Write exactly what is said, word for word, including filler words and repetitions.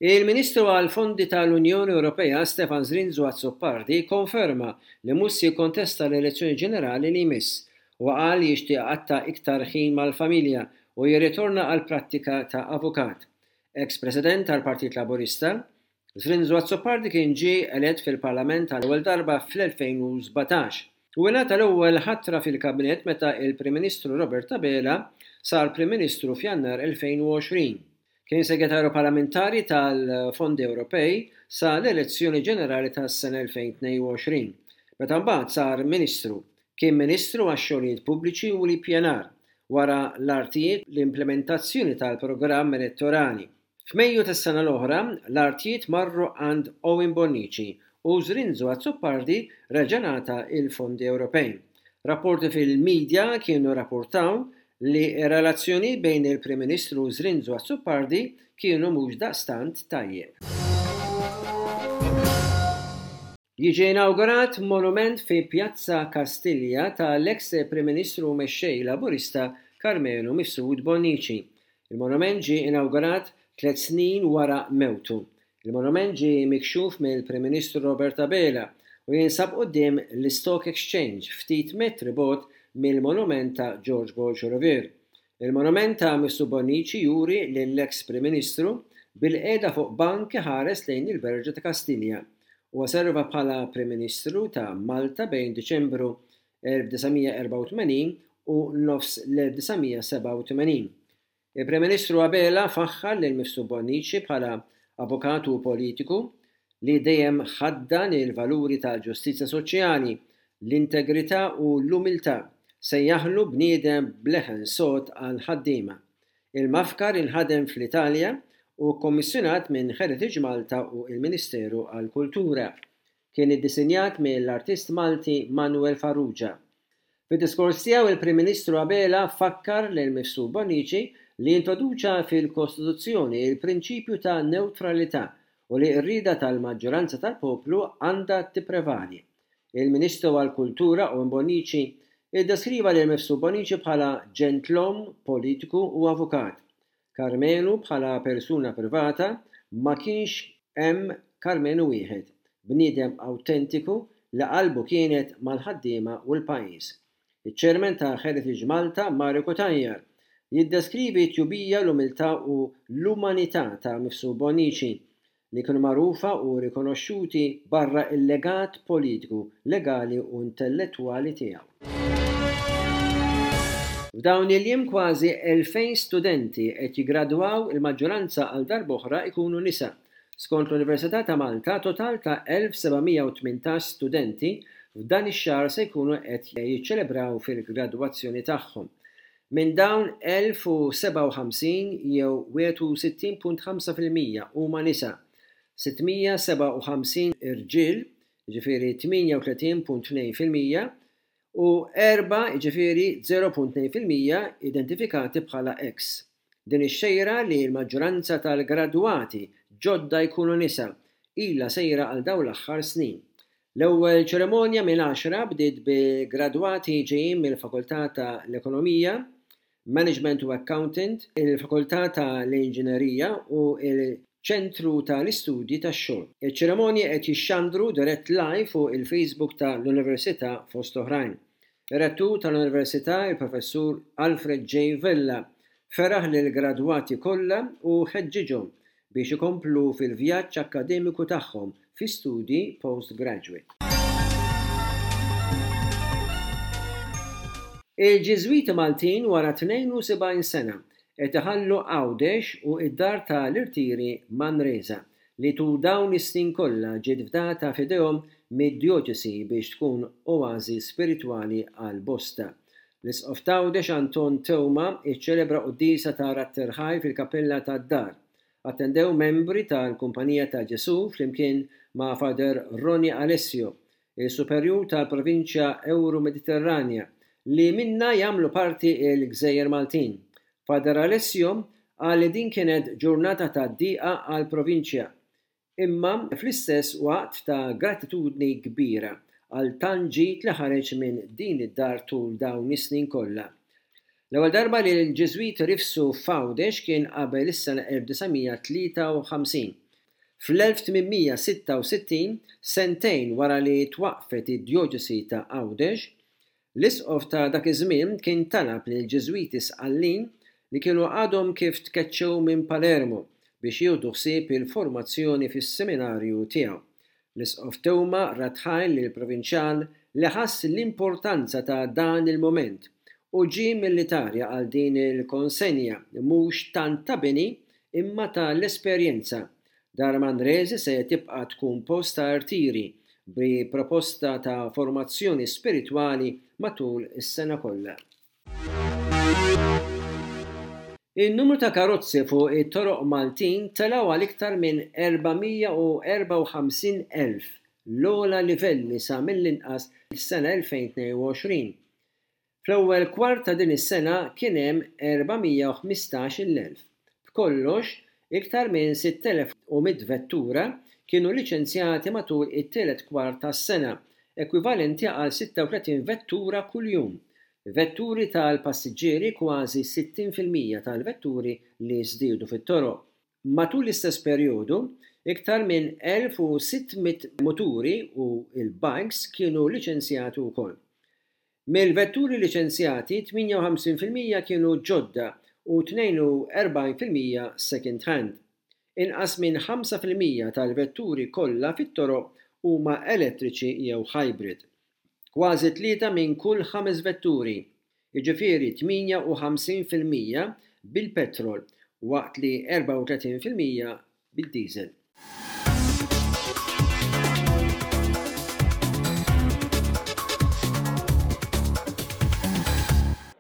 Il-Ministru għall-Fondi tal-Unjoni Ewropea Stefan Zrinzo Azzopardi konferma li mhux se jikkontesta l-elezzjoni ġenerali li jmiss. Huwa qal li jixtieq iqatta' iktar ħin mal-familja u jirritorna għall-prattika ta' avukat. Ex-President tal-Partit Laburista, Zrinzo Azzopardi kien ġie elett fil-Parlament għall-ewwel darba fl-elfejn u sbatax u ingħata l-ewwel ħatra fil-Kabinett meta il-Prim Ministru Robert Abela sar Prim Ministru f'Jannar elfejn u għoxrin. Kien segretarju parlamentari tal-Fondi Ewropej sa l-elezzjoni ġenerali tas-sena elfejn tnejn u għoxrin, meta mbagħad sar Ministru. Kien Ministru għax-xogħlijiet pubbliċi u l-ippjanar, wara l-artijiet l-implementazzjoni tal-programm elettorali. F'Mejju tas-sena l-oħra, l-artijiet marru għand Owen Bonnici u Zrinzo Azzopardi reġa' ngħata il-fondi Ewropej. Rapporti fil-medja kienu rapportaw li r-relazzjoni bejn il-Prim Ministru Zrinzo Azzopardi kienu mhux daqstant tajjeb. Jiġi inawgurat monument fi Pjazza Kastilja tal-ex Prim Ministru mexxej Laburista Karmenu Mifsud Bonnici. Il-monument ġie inawgurat tliet snin wara mewtu. Il-monument ġie mikxuf mill-Prim Ministru Robert Abela u jinsab quddiem l-Stock Exchange ftit metri bogħod mill-monument ta' George Borg Olivier. Il-monument ta' Mifsud Bonnici juri lill-ex Prim Ministru bil-qiegħda fuq bank iħares lejn il-Berġa ta' Kastilja. Huwa serva bħala Prim Ministru ta' Malta bejn Diċembru elf disa' mija erbgħa u tmenin u nofs l-elf disa' mija sebgħa u tmenin. Il-Prim Ministru Abela faħħar lil Mifsud Bonnici bħala avukat u politiku li dejjem ħaddan il-valuri tal-ġustizzja soċjali, l-integrità u l-umiltà, sejjaħlu bniedem bleħen sod għal ħaddiema. Il-mafkar inħadem fl-Italja u kkommissjonat minn Heritage Malta u il-Ministeru għall-Kultura. Kien iddisinjat mill-artist Malti Manuel Farrugia. Fid-diskors tiegħu il-Prim Ministru Abela fakkar lil Mifsud Bonnici li introduċa fil-Kostituzzjoni il-prinċipju ta' neutralità u li r-rieda tal-maġġoranza tal-poplu għandha tipprevali. Il-Ministru għall-Kultura Owen Bonnici iddeskriva lil Mifsud Bonnici bħala ġentlom, politiku u avukat. Karmenu bħala persuna privata ma kienx hemm Karmenu wieħed, bniedem awtentiku li qalbu kienet mal-ħaddiema u l-pajjiż. Iċ-Chairman ta' Heritage Malta, Mario Cutajar, jiddeskrivi t-tjubija, l-umiltà u l-umanità ta' Mifsud Bonnici, li kienu magħrufa u rikonoxxuti barra il-legat politiku, legali u intellettwali tiegħu. F'dawn il-jiem kważi elfejn studenti qed jiggradwaw, il-maġġoranza għal darb'oħra ikunu nisa. Skont l-Università ta' Malta, total ta' elf seba' mija u tmintax studenti f'dan ix-xahar se jkunu qed jiċċelebraw fil-gradwazzjoni tagħhom. Minn dawn elf u sebgħa u ħamsin jew wieħed u sittin punt ħamsa fil-mija huma nisa, sitt mija sebgħa u ħamsin irġiel, jiġifieri tmienja u tletin punt tnejn fil-mija, u erba', jiġifieri zero punt tnejn fil-mija, identifikati bħala ex. Din ix-xejra li l-maġġoranza tal-gradwati ġodda jkunu nisa ilha sejra għal dawn l-aħħar snin. L-ewwel ċerimonja minn għaxra bdiet bi gradwati ġejjin mill-Fakultà tal-Ekonomija, Management u Accountant, il-Fakultà tal-Inġinerija u il-Ċentru tal-Istudji tax-Xogħol. Iċ-ċerimonji qed jixxandru dirett live fuq il-Facebook tal-Università fost oħrajn. Ir-rettur tal-Università, il-Professur Alfred J. Vella, feraħ lill-gradwati kollha u ħeġġiġhom biex ikomplu fil-vjaġġ akkademiku tagħhom fi studi postgraduate. Il-Ġiżwiti Maltin wara tnejn u sebgħin sena qed iħallu Għawdex u id-dar tal-irtiri Manresa li tul dawn is-snin kollha ġiet fdata f'idejhom mid-djoċesi biex tkun oażi spiritwali għal bosta. L-Isqof t'Għawdex Anton Teuma iċċelebra quddiesa ta' Ratterħaj fil-Kappella tad-Dar. Attendew membri tal-Kumpanija ta' Ġesu flimkien ma' Father Ronnie Alessio, il-Superjur tal-Provinċja Euro-Mediterranja, li minna jagħmlu parti il-Gżejjer Maltin. Father Alessio qal li din kienet ġurnata ta' diqa għall-provinċja, imma fl-istess waqt ta' gratitudni kbira għal tant ġid li ħareġ minn din id-dar tul dawn is-snin kollha. L-ewwel darba li l-Ġiżwiti rifsu f'Għawdex kien qabel is-sena elf disa' mija tlieta u ħamsin. Fl-elf tmien mija sitta u sittin, sentejn wara li twaqqfet id-djoċesi ta' Għawdex, l-isqof ta' dak iż-żmien kien talab lill-Ġiżwiti Sqallin li kienu għadhom kif tkeċċew minn Palermo biex jieħdu ħsieb il-formazzjoni fis-seminarju tiegħu. L-isqof Teuma radd ħajr lill-provinċjal li ħass l-importanza ta' dan il-mument u ġie mill-Italja għal din il-konsenja mhux tant ta' bini imma ta' l-esperjenza. Dar Manresi se tibqa' tkun post ta' rtiri bi proposta ta' formazzjoni spiritwali matul is-sena kollha. In-numru ta' karozzi fuq it-toroq Maltin telgħu għal iktar minn erba' mija u erbgħa u ħamsin elf, l-ogħla livelli sa mill-inqas is-sena elfejn tnejn u għoxrin. Fl-ewwel kwart ta' din is-sena kien hemm erba' mija u ħmistax-il elf. B'kollox, iktar minn sitt elef u mitt vettura kienu liċenzjati matul it-tielet kwart tas-sena, ekwivalenti għal sitta u tletin vettura kuljum. Vetturi tal-passiġġieri kważi sittin fil-mija tal-vetturi li żdiedu fit-toroq. Matul l-istess perjodu, iktar minn elf u sitt mitt muturi u l-bikes kienu liċenzjati wkoll. Mill-vetturi liċenzjati, tmienja u ħamsin fil-mija kienu ġodda u tnejn u erbgħin fil-mija second hand. Inqas minn ħamsa fil-mija tal-vetturi kollha fit-toroq huma elettriċi jew hybrid. Kważi tlieta minn kull ħames vetturi, jiġifieri tmienja u ħamsin fil-mija bil-petrol, waqt li erbgħa u tletin fil-mija bid-diesel.